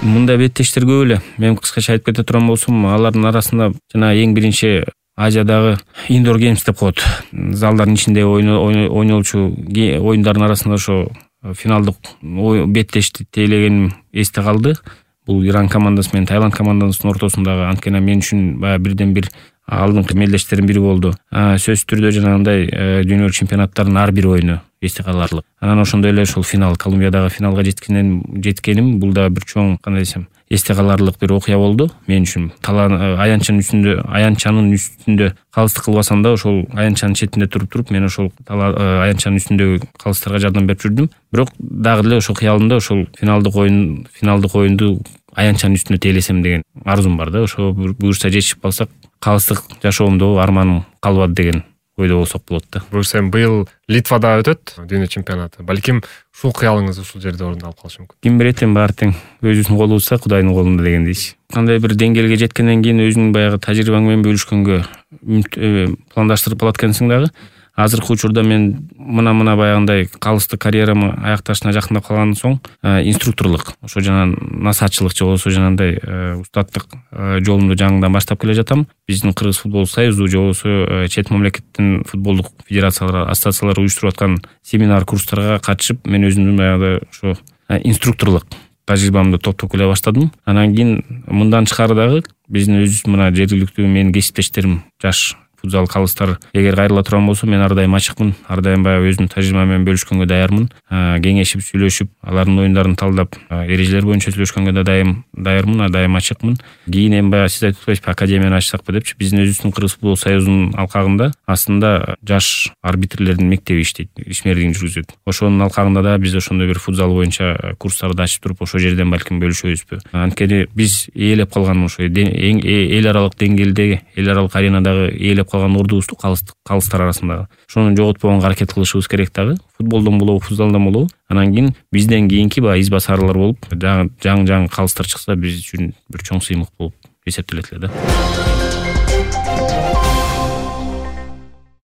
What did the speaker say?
Мындай беттештер көп эле. Мен кыскача айтып кете турган болсом, алардын арасында жана эң биринчи Азиядагы Indoor Games деп коет. Залдардын ичинде ойнолчу оюндардын арасында ошо финалдык беттешти тейлегеним эсте калды. Бул Иран командасы менен Таиланд командасынын ортосундагы, анткени мен үчүн баягы бирден бир алдыңкы мелдештердин бири болду. Сөзсүз түрдө жанагындай дүйнө чемпионаттарынын ар бир оюну эсте каларлык. Анан ошондой эле ошол финал, Колумбиядагы финалга жеткеним бул да бир чоң, кандай десем, эсте каларлык бир окуя болду мен үчүн. Аянтчанын үстүндө калыстык кылбасам да, ошол аянтчанын четинде туруп мен ошол аянтчанын үстүндөгү калыстарга жардам берип жүрдүм. Бирок дагы деле ошол кыялымда ошол финалдык оюнду аянтчанын үстүнө тейлесем деген арзум бар да. Ошо буюрса жетишип калсак, калыстык жашоомдо арманым калбады деген ойдо болсок болот да. Буюрса быйыл Литвада өтөт дүйнө чемпионаты. Балким ушул кыялыңыз ушул жерде орун алып калышы мүмкүн. Ким билет, баары тең өзүбүздүн колубузда, Кудайдын колунда дегендейчи. Кандай бир деңгээлге жеткенден кийин өзүңүн баягы тажрыйбаң менен бөлүшкөнгө пландаштырып алат экенсиң дагы. Азыркы учурда мен мына баягындай калыстык карьерамы аякташына жакындап калгандан соң инструкторлук, ошо жана насаатчылык же болбосо жанагындай устаттык жолумду жаңыдан баштап келе жатам. Биздин Кыргыз футбол союзу же болбосо чет мамлекеттин футболдук федерациялары, ассоциациялары уюштуруп аткан семинар, курстарга катышып, мен өзүмдүн баягы ошо инструкторлук тажрыйбамды топтоп келе баштадым. Анан кийин мындан тышкары дагы биздин өзүбүз мына жергиликтүү менин кесиптештерим, жаш футзал калыстар эгер кайрыла турган болсо, мен ар дайым ачыкмын, ар дайым баягы өзүмдүн тажрыйбам менен бөлүшкөнгө даярмын. Кеңешип, сүйлөшүп, алардын оюндарын талдап, эрежелер боюнча сүйлөшкөнгө да даярмын, дайым ачыкмын. Кийин эми баягы сиз айтып атпайсызбы, академияны ачсакпы депчи, биздин өзүбүздүн Кыргыз футбол союзунун алкагында астында жаш арбитрлердин мектеби иштейт, ишмердигин жүргүзөт. Ошонун алкагында да биз ошондой бир футзал боюнча курстарды ачып туруп, ошол жерден балким бөлүшөбүзбү. Анткени биз ээлеп калган ошо эл аралык деңгээлде, эл аралык аренадагы ээлеп калган ордубузду калыстар арасындагы ошону жоготпогонго аракет кылышыбыз керек дагы. Футболдон болобу, футзалдан болобу. Анан кийин бизден кийинки баягы из басарлар болуп, жаңы калыстар чыкса, биз үчүн бир чоң сыймык болуп эсептелет эле да.